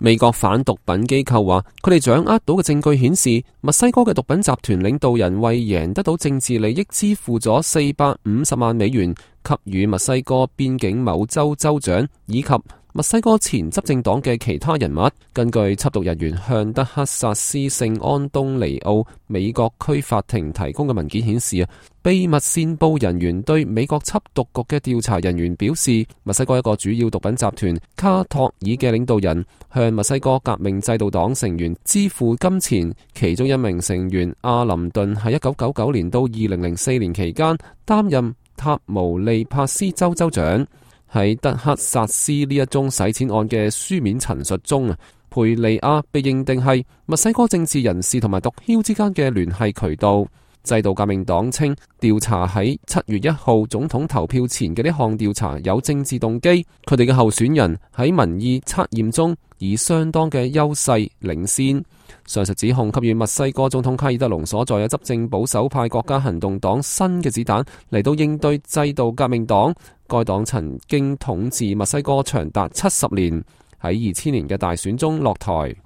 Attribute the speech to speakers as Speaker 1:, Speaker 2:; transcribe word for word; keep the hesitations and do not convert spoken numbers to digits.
Speaker 1: 美國反毒品機構話，佢哋掌握到嘅證據顯示，墨西哥嘅毒品集團領導人為贏得到政治利益，支付咗四百五十萬美元給予墨西哥邊境某州州長以及墨西哥前執政黨嘅其他人物。根據緝毒人員向德克薩斯聖安東尼奧美國區法庭提供嘅文件顯示啊，秘密線報人員對美國緝毒局嘅調查人員表示，墨西哥一個主要毒品集團卡托爾嘅領導人向墨西哥革命制度黨成員支付金錢，其中一名成員阿林頓喺一九九九年到二零零四年期間擔任塔毛利帕斯州州長。喺德克薩斯呢一宗洗錢案嘅書面陳述中啊，培利亞被認定係墨西哥政治人士同埋毒梟之間嘅聯繫渠道。制度革命黨稱調查喺七月一號總統投票前嘅呢項調查有政治動機，佢哋嘅候選人喺民意測驗中以相當嘅優勢領先。上述指控給予墨西哥總統卡爾德隆所在嘅執政保守派國家行動黨新嘅子彈嚟到應對制度革命黨。該黨曾經統治墨西哥長達七十年，喺二千年嘅大選中落台。